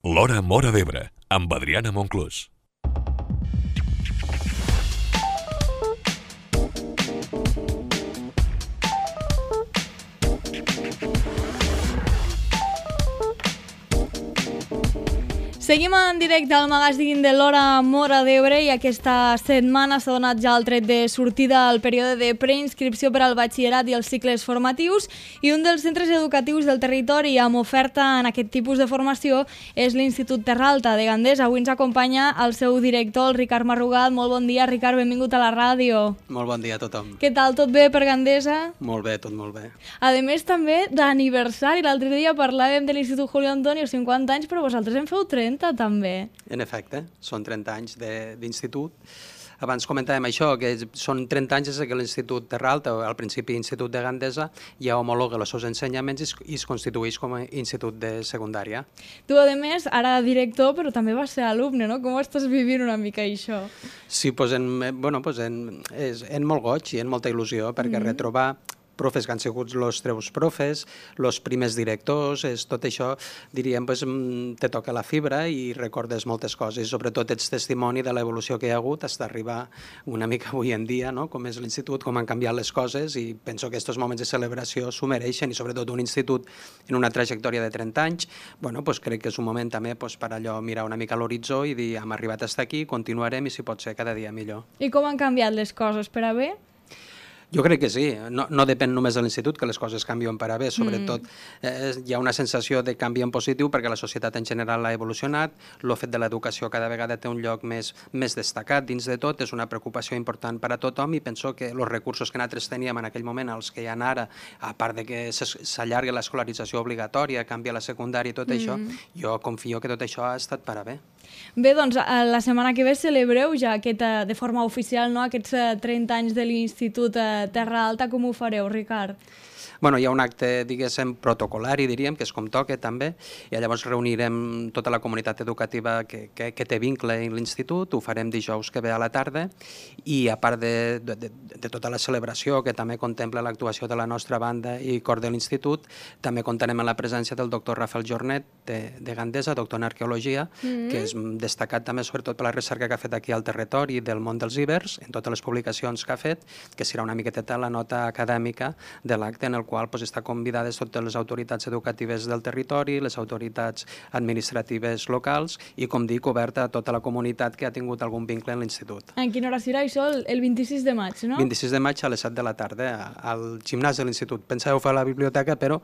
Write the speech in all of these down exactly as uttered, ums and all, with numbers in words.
L'Hora Móra d'Ebre, amb Adriana Monclús. Seguim en directe al magazín de l'Hora Móra d'Ebre i aquesta setmana s'ha donat ja el tret de sortida al període de preinscripció per al batxillerat i els cicles formatius, i un dels centres educatius del territori amb oferta en aquest tipus de formació és l'Institut Terra Alta de Gandesa. Avui ens acompanya el seu director, el Ricard Marrugat. Molt bon dia, Ricard, benvingut a la ràdio. Molt bon dia a tothom. Què tal, tot bé per Gandesa? Molt bé, tot molt bé. A més, també d'aniversari. L'altre dia parlàvem de l'Institut Julio Antonio, cinquanta anys, però vosaltres en feu trenta. També. En efecte, són trenta anys d'institut. Abans comentàvem això, que són trenta anys des que l'Institut Terra Alta, al principi Institut de Gandesa, ja homologa els seus ensenyaments i es constitueix com a institut de secundària. Tu, a més, ara director, però també vas ser alumne, no? Com estàs vivint una mica això? Sí, doncs en, bueno, doncs en, és, en molt goig i en molta il·lusió, perquè mm-hmm. retrobar profes que han sigut els teus profes, els primers directors, és, tot això, diríem, pues, te toca la fibra i recordes moltes coses, sobretot ets testimoni de l'evolució que hi ha hagut fins a arribar una mica avui en dia, no? Com és l'institut, com han canviat les coses, i penso que aquests moments de celebració s'ho mereixen, i sobretot un institut en una trajectòria de trenta anys, bueno, pues, crec que és un moment també pues, per allò mirar una mica l'horitzó i dir hem arribat fins aquí, continuarem i si pot ser cada dia millor. I com han canviat les coses per a bé? Jo crec que sí, no, no depèn només de l'institut que les coses canvien per a bé, sobretot eh, hi ha una sensació de canvi en positiu perquè la societat en general ha evolucionat, el fet de l'educació cada vegada té un lloc més, més destacat dins de tot, és una preocupació important per a tothom i penso que els recursos que nosaltres teníem en aquell moment, els que hi ha ara, a part de que s'allarga l'escolarització obligatòria, canvia la secundària i tot mm. això, jo confio que tot això ha estat per a bé. Bé, doncs la setmana que ve celebreu ja aquesta, de forma oficial, no, aquests trenta anys de l'Institut Terra Alta. Com ho fareu, Ricard? Bueno, hi ha un acte, diguéssim, protocolari, diríem, que és com toca també, i llavors reunirem tota la comunitat educativa que, que, que té vincle en l'institut, ho farem dijous que ve a la tarda, i a part de, de, de, de tota la celebració que també contempla l'actuació de la nostra banda i cor de l'institut, també comptarem amb la presència del doctor Rafael Jornet de, de Gandesa, doctor en arqueologia, mm-hmm. que és destacat també sobretot per la recerca que ha fet aquí al territori del món dels ibers, en totes les publicacions que ha fet, que serà una miqueta la nota acadèmica de l'acte en el qual pues, està convidades totes les autoritats educatives del territori, les autoritats administratives locals i, com dic, oberta a tota la comunitat que ha tingut algun vincle en l'institut. En quina hora serà això? El vint-i-sis de maig, no? vint-i-sis de maig a les set de la tarda al gimnàs de l'institut. Pensàveu fer a la biblioteca, però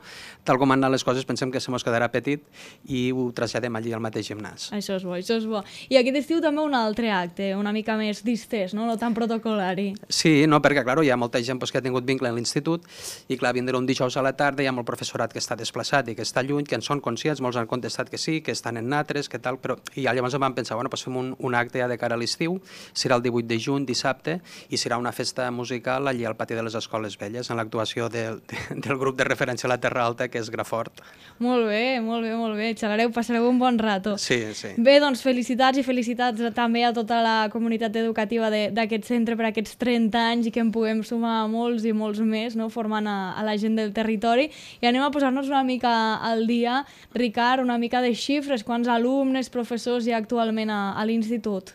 tal com han anat les coses pensem que se mos quedarà petit i ho traslladem allí al mateix gimnàs. Això és bo, això és bo. I aquest estiu també un altre acte, una mica més distès, no? No tan protocolari. Sí, no, perquè, clar, hi ha molta gent pues, que ha tingut vincle en l'institut i, clar, vindrà un dijous a la tarda, hi ha molt professorat que està desplaçat i que està lluny, que en són conscients, molts han contestat que sí, que estan en natres, que tal, però i llavors vam pensar, bueno, doncs fem un, un acte ja de cara a l'estiu, serà el divuit de juny, dissabte, i serà una festa musical allí al pati de les Escoles Velles, en l'actuació del, de, del grup de referència a la Terra Alta, que és Grafort. Molt bé, molt bé, molt bé, xalareu, passareu un bon rato. Sí, sí. Bé, doncs felicitats i felicitats també a tota la comunitat educativa d'aquest centre per aquests trenta anys i que en puguem sumar molts i molts més, no?, formant a, a la gent del territori. I anem a posar-nos una mica al dia, Ricard, una mica de xifres, quants alumnes, professors hi ha actualment a, a l'institut?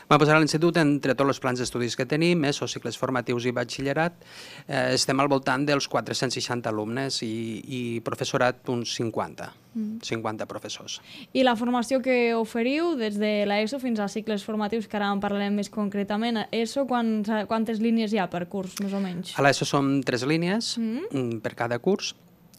Vam posar a l'institut, entre tots els plans d'estudis que tenim, ESO, cicles formatius i batxillerat, eh, estem al voltant dels quatre-cents seixanta alumnes i, i professorat uns cinquanta, mm. cinquanta professors. I la formació que oferiu des de l'ESO fins a cicles formatius, que ara en parlarem més concretament, ESO, quants, quantes línies hi ha per curs, més o menys? A l'ESO són tres línies mm. per cada curs,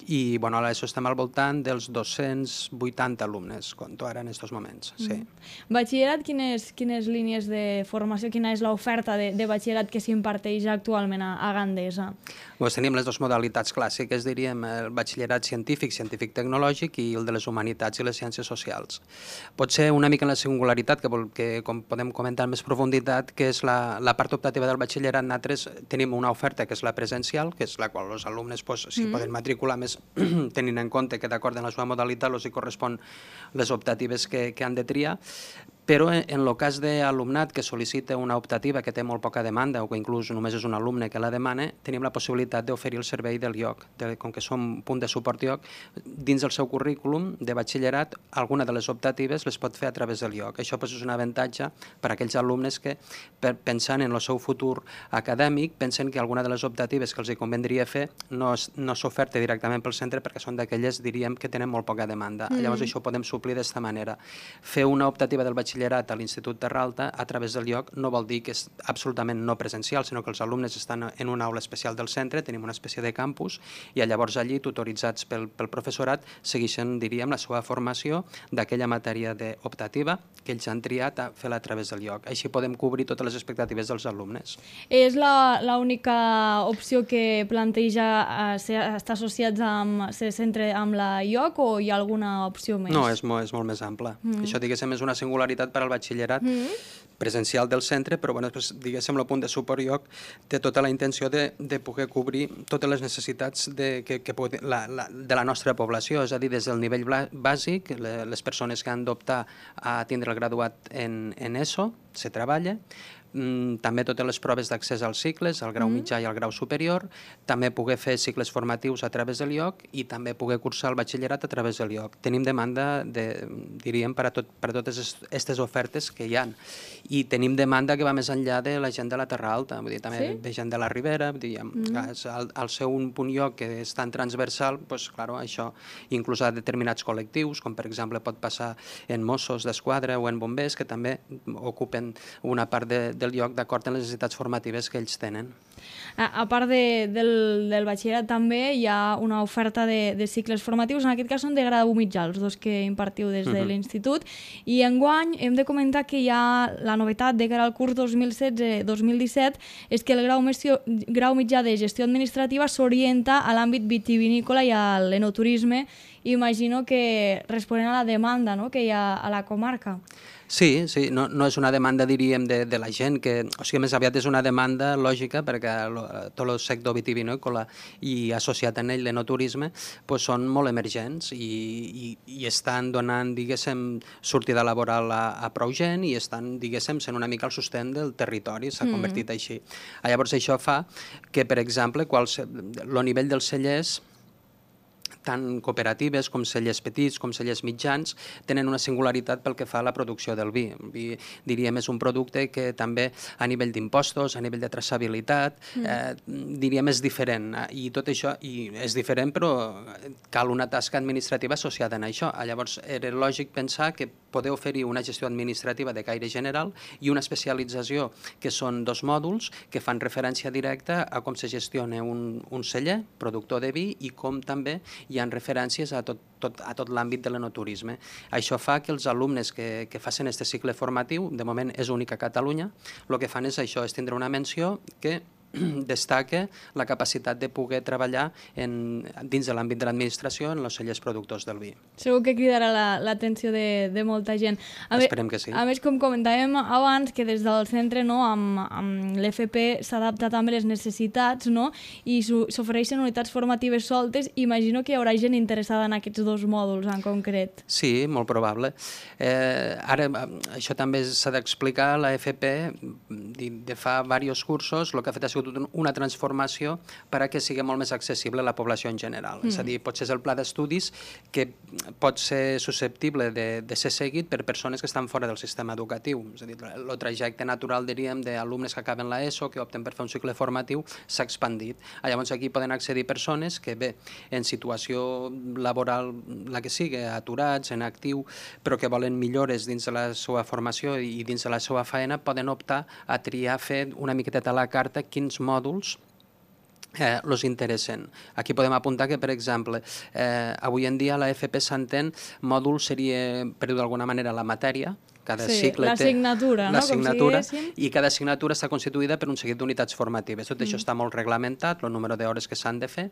i bueno, a l'ESO estem al voltant dels dos-cents vuitanta alumnes, compto ara en aquests moments. Sí. Mm. Batxillerat, quines, quines línies de formació, quina és l'oferta de, de batxillerat que s'imparteix actualment a, a Gandesa? Doncs tenim les dues modalitats clàssiques, diríem, el batxillerat científic, científic-tecnològic i el de les humanitats i les ciències socials. Pot ser una mica la singularitat, que, que com podem comentar en més profunditat, que és la, la part optativa del batxillerat. Nosaltres tenim una oferta que és la presencial, que és la qual els alumnes pues, s'hi mm. poden matricular més tenint en compte que d'acord amb la seva modalitat els hi correspon les optatives que, que han de triar, Però en el cas d'alumnat que sol·licita una optativa que té molt poca demanda o que inclús només és un alumne que la demana, tenim la possibilitat d'oferir el servei del I O C. Com que som punt de suport I O C, dins del seu currículum de batxillerat, alguna de les optatives les pot fer a través del I O C. Això és un avantatge per a aquells alumnes que, pensant en el seu futur acadèmic, pensen que alguna de les optatives que els hi convendria fer no, no s'oferta directament pel centre perquè són d'aquelles, diríem, que tenen molt poca demanda. Mm. Llavors això ho podem suplir d'esta manera. Fer una optativa del batxillerat a l'Institut Terralta a través del I O C no vol dir que és absolutament no presencial, sinó que els alumnes estan en una aula especial del centre, tenim una espècie de campus, i llavors allí, tutoritzats pel, pel professorat, segueixen, diríem, la seva formació d'aquella matèria d'optativa que ells han triat a fer-la a través del I O C. Així podem cobrir totes les expectatives dels alumnes. És l'única opció que planteja eh, ser, estar associats amb ser centre amb la I O C o hi ha alguna opció més? No, és molt, és molt més ampla. Mm. Això, diguéssim, és una singularitat per al batxillerat mm. presencial del centre, però, bueno, pues, diguéssim, el punt de suport I O C té tota la intenció de, de poder cobrir totes les necessitats de, que, que pot, la, la, de la nostra població, és a dir, des del nivell bàsic, les persones que han d'optar a tindre el graduat en, en ESO, se treballa, també totes les proves d'accés als cicles, al grau mitjà i al grau superior, també poder fer cicles formatius a través del I O C i també poder cursar el batxillerat a través del I O C. Tenim demanda, de, diríem, per a, tot, per a totes aquestes ofertes que hi ha. I tenim demanda que va més enllà de la gent de la Terra Alta, vull dir, també sí? de gent de la Ribera, diguem, mm. al, al ser un punt I O C que és tan transversal, doncs, clar, això inclús a determinats col·lectius, com per exemple pot passar en Mossos d'Esquadra o en bombers, que també ocupen una part de, del I O C d'acord amb les necessitats formatives que ells tenen. A, a part de, del, del batxillerat també hi ha una oferta de, de cicles formatius, en aquest cas són de grau mitjà, els dos que impartiu des de uh-huh. l'institut, i enguany hem de comentar que hi ha la novetat de cara al curs dos mil setze dos mil disset és que el grau, mesio, grau mitjà de gestió administrativa s'orienta a l'àmbit vitivinícola i a l'enoturisme. Imagino que responent a la demanda, no?, que hi ha a la comarca. Sí, sí, no, no és una demanda, diríem, de, de la gent, que, o sigui, més aviat és una demanda lògica perquè lo, tot el sector vitivinícola i associat en ell l'enoturisme pues, són molt emergents i, i, i estan donant, diguéssim, sortida laboral a, a prou gent i estan, diguéssim, sent una mica el sostén del territori, s'ha convertit mm. així. Llavors això fa que, per exemple, el nivell dels cellers tant cooperatives com cellers petits, com cellers mitjans, tenen una singularitat pel que fa a la producció del vi. El vi, diríem, és un producte que també a nivell d'impostos, a nivell de traçabilitat, mm. eh, diríem, és diferent. I tot això i és diferent, però cal una tasca administrativa associada a això. Llavors, era lògic pensar que poder oferir una gestió administrativa de caire general i una especialització, que són dos mòduls que fan referència directa a com se gestiona un, un celler, productor de vi, i com també hi ha referències a tot, tot, a tot l'àmbit de l'enoturisme. Això fa que els alumnes que, que facin aquest cicle formatiu, de moment és únic a Catalunya, el que fan és això, és tindre una menció que destaca la capacitat de poder treballar en, dins de l'àmbit de l'administració en els cellers productors del vi. Segur que cridarà l'atenció la, de, de molta gent. A Esperem que sí. A més, com comentàvem abans, que des del centre, no, amb, amb l'F P s'adapta també les necessitats, no, i s'ofereixen unitats formatives soltes. Imagino que hi haurà gent interessada en aquests dos mòduls en concret. Sí, molt probable. Eh, ara, això també s'ha d'explicar, la F P de, de fa diversos cursos, el que ha fet ha sigut una transformació perquè sigui molt més accessible a la població en general. Mm. És a dir, potser és el pla d'estudis que pot ser susceptible de, de ser seguit per persones que estan fora del sistema educatiu. És a dir, el trajecte natural, diríem, d'alumnes que acaben l'ESO, que opten per fer un cicle formatiu, s'ha expandit. Llavors aquí poden accedir persones que, bé, en situació laboral, la que sigui, aturats, en actiu, però que volen millores dins de la seva formació i dins de la seva feina, poden optar a triar fer una miqueteta a la carta quins mòduls eh, els interessen. Aquí podem apuntar que, per exemple, eh, avui en dia a la F P s'entén mòdul seria, per dir d'alguna manera, la matèria, cada sí, cicle té l'assignatura, no? l'assignatura, i cada assignatura està constituïda per un seguit d'unitats formatives. Tot mm. això està molt reglamentat, el número d'hores que s'han de fer,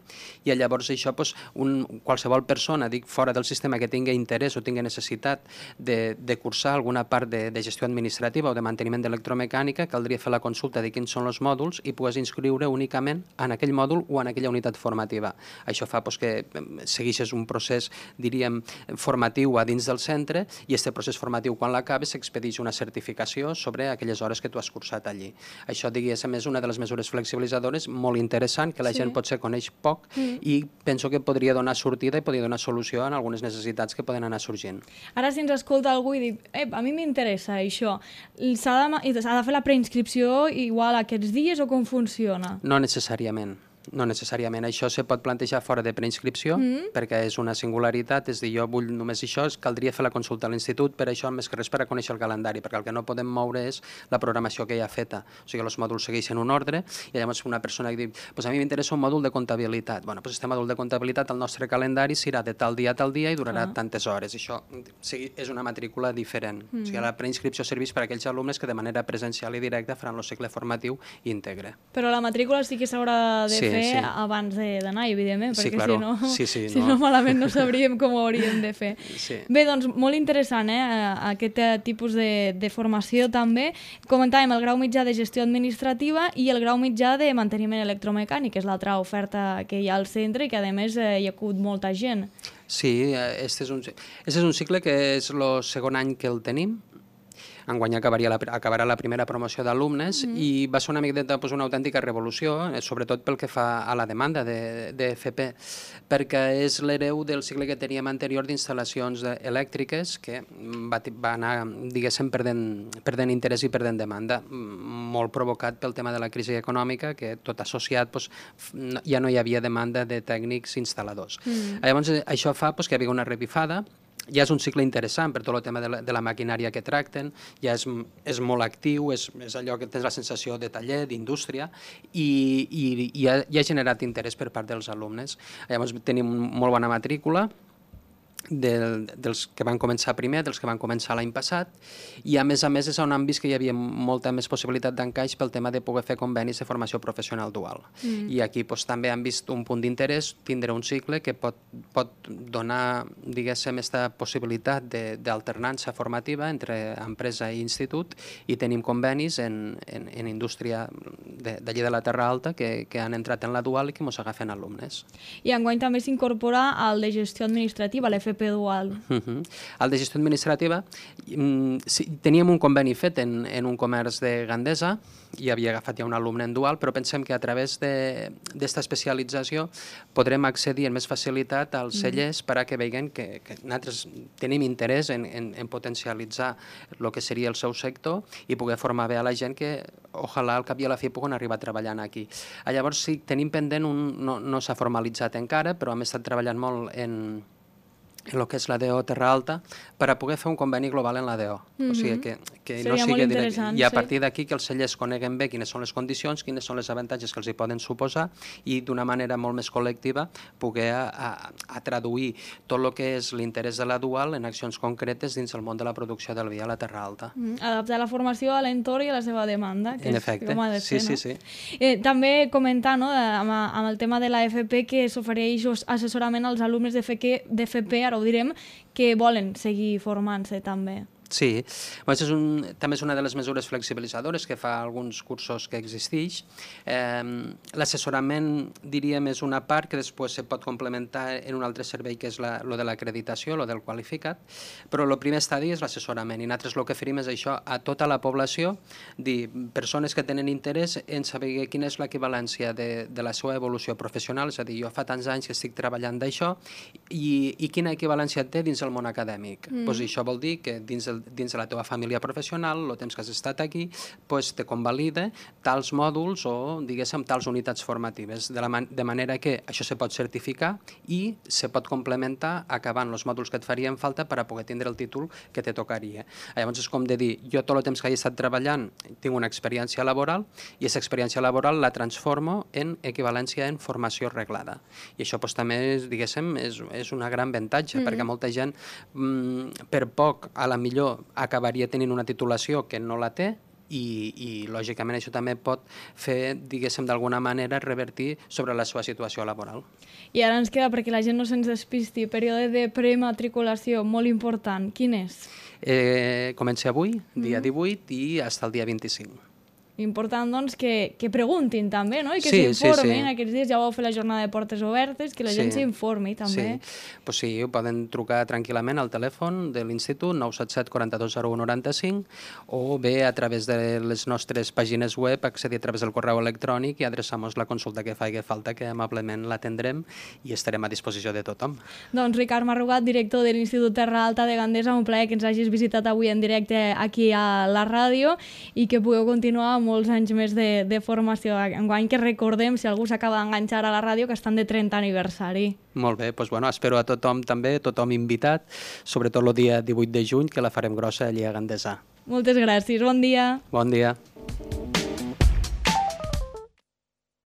i llavors això, doncs, un, qualsevol persona, dic, fora del sistema que tingui interès o tingui necessitat de, de cursar alguna part de, de gestió administrativa o de manteniment d'electromecànica, caldria fer la consulta de quins són els mòduls i poder inscriure únicament en aquell mòdul o en aquella unitat formativa. Això fa doncs, que segueixes un procés, diríem, formatiu a dins del centre, i aquest procés formatiu, quan l'acabes, s'acabi s'expedeix una certificació sobre aquelles hores que tu has cursat allí. Això, diguéssim, és una de les mesures flexibilitzadores molt interessant, que la Sí. gent potser coneix poc Mm. i penso que podria donar sortida i podria donar solució en algunes necessitats que poden anar sorgint. Ara, si ens escolta algú i diu, eh, a mi m'interessa això, s'ha de, ma- s'ha de fer la preinscripció igual aquests dies o com funciona? No necessàriament. No necessàriament. Això se pot plantejar fora de preinscripció, mm. perquè és una singularitat, és dir, jo vull només això, caldria fer la consulta a l'institut, per això, més que res, per a conèixer el calendari, perquè el que no podem moure és la programació que hi ha feta. O sigui, els mòduls segueixen un ordre, i llavors una persona que diu, pues a mi m'interessa un mòdul de comptabilitat. Bueno, pues este mòdul de comptabilitat, el nostre calendari serà de tal dia a tal dia i durarà Ah. tantes hores. Això o sigui, és una matrícula diferent. Mm. O sigui, la preinscripció serveix per a aquells alumnes que de manera presencial i directa faran el cicle formatiu íntegre. Però la matrícula sí que s'haurà de Sí, fer sí. abans de- d'anar, evidentment, Sí, perquè claro. si no, Sí, sí, si no. no malament no sabríem com ho hauríem de fer. Sí. Bé, doncs molt interessant eh, aquest eh, tipus de, de formació també. Comentàvem el grau mitjà de gestió administrativa i el grau mitjà de manteniment electromecànic, que és l'altra oferta que hi ha al centre i que a més eh, hi ha acut molta gent. Sí, eh, este és un, este és un cicle que és el segon any que el tenim. Enguany acabaria la, acabarà la primera promoció d'alumnes mm. i va ser una miqueta pues, una autèntica revolució, eh, sobretot pel que fa a la demanda de, de F P, perquè és l'hereu del cicle que teníem anterior d'instal·lacions elèctriques que va, va anar, diguéssim, perdent, perdent interès i perdent demanda, molt provocat pel tema de la crisi econòmica, que tot associat pues, ja no hi havia demanda de tècnics instal·ladors. Mm. Llavors, això fa pues, que hi havia una revifada. Ja és un cicle interessant per tot el tema de la, de la maquinària que tracten, ja és, és molt actiu, és, és allò que tens la sensació de taller, d'indústria, i, i, i ha, i ha generat interès per part dels alumnes. Llavors tenim molt bona matrícula, del, dels que van començar primer, dels que van començar l'any passat, i a més a més és on han vist que hi havia molta més possibilitat d'encaix pel tema de poder fer convenis de formació professional dual. Mm. I aquí doncs, també han vist un punt d'interès, tindre un cicle que pot, pot donar, diguéssim, aquesta possibilitat d'alternança formativa entre empresa i institut, i tenim convenis en, en, en indústria d'allí de la Terra Alta que, que han entrat en la dual i que ens agafen alumnes. I enguany també s'incorpora el de gestió administrativa, l'F P dual. Uh -huh. El de gestió administrativa, sí, teníem un conveni fet en, en un comerç de Gandesa, i havia agafat ja un alumne en dual, però pensem que a través d'esta especialització podrem accedir amb més facilitat als cellers mm. per a que vegin que, que nosaltres tenim interès en, en, en potencialitzar el que seria el seu sector i poder formar bé a la gent que, ojalà, al cap i a la fi puguen arribar treballant aquí. Llavors, sí, tenim pendent, un, no, no s'ha formalitzat encara, però hem estat treballant molt en en el que és la D O Terra Alta, per a poder fer un conveni global en la D O. Mm-hmm. O sigui, que, que no sigui direct. I a partir d'aquí que els cellers coneguen bé quines són les condicions, quines són les avantatges que els hi poden suposar, i d'una manera molt més col·lectiva poder a, a, a traduir tot el que és l'interès de la dual en accions concretes dins el món de la producció del vi a la Terra Alta. Mm, adaptar la formació a l'entorn i a la seva demanda, que en és efecte. com ha de ser, sí, no? sí, sí. Eh, també comentar, no, amb, amb el tema de la F P, que s'ofereix assessorament als alumnes d'F P, ara ho direm, que volen seguir formant-se també. Sí, doncs és un, també és una de les mesures flexibilitzadores que fa alguns cursos que existeix. Eh, L'assessorament, diríem, és una part que després se pot complementar en un altre servei que és la, lo de l'acreditació, lo del qualificat, però el primer estadi és l'assessorament, i nosaltres el que oferim és això a tota la població, dir, persones que tenen interès en saber quina és l'equivalència de, de la seva evolució professional, és a dir, jo fa tants anys que estic treballant d'això, i, i quina equivalència té dins el món acadèmic. Mm. Pues això vol dir que dins el dins de la teva família professional, el temps que has estat aquí, pues, te convalida tals mòduls o, diguéssim, tals unitats formatives, de, la man de manera que això se pot certificar i se pot complementar acabant els mòduls que et farien falta per a poder tindre el títol que te tocaria. Llavors és com de dir, jo tot el temps que he estat treballant tinc una experiència laboral i aquesta experiència laboral la transformo en equivalència en formació reglada. I això pues, també, diguéssim, és, és una gran avantatge, mm-hmm. perquè molta gent, mm, per poc, a la millor acabaria tenint una titulació que no la té, i, i lògicament això també pot fer, diguéssim, d'alguna manera revertir sobre la seva situació laboral. I ara ens queda, perquè la gent no se'ns despisti, període de prematriculació molt important. Quin és? Eh, comença avui, dia divuit, i fins al dia vint-i-cinc. Important, doncs, que, que preguntin també, no? I que Sí, sí, s'informin. sí. Aquests dies ja vau fer la jornada de portes obertes, que la gent Sí. s'informi també. Sí. Pues sí, ho poden trucar tranquil·lament al telèfon de l'Institut nou set set quaranta-dos zero u noranta-cinc o bé a través de les nostres pàgines web accedir a través del correu electrònic i adreçar-nos la consulta que faci falta, que amablement l'atendrem i estarem a disposició de tothom. Doncs Ricard Marrugat, director de l'Institut Terra Alta de Gandesa, un plaer que ens hagis visitat avui en directe aquí a la ràdio i que pugueu continuar molts anys més de, de formació. Enguany que recordem, si algú s'acaba d'enganxar a la ràdio, que estan de trenta aniversari. Molt bé, doncs bueno, espero a tothom també, tothom invitat, sobretot el dia divuit de juny, que la farem grossa allí a Gandesa. Moltes gràcies, bon dia. Bon dia.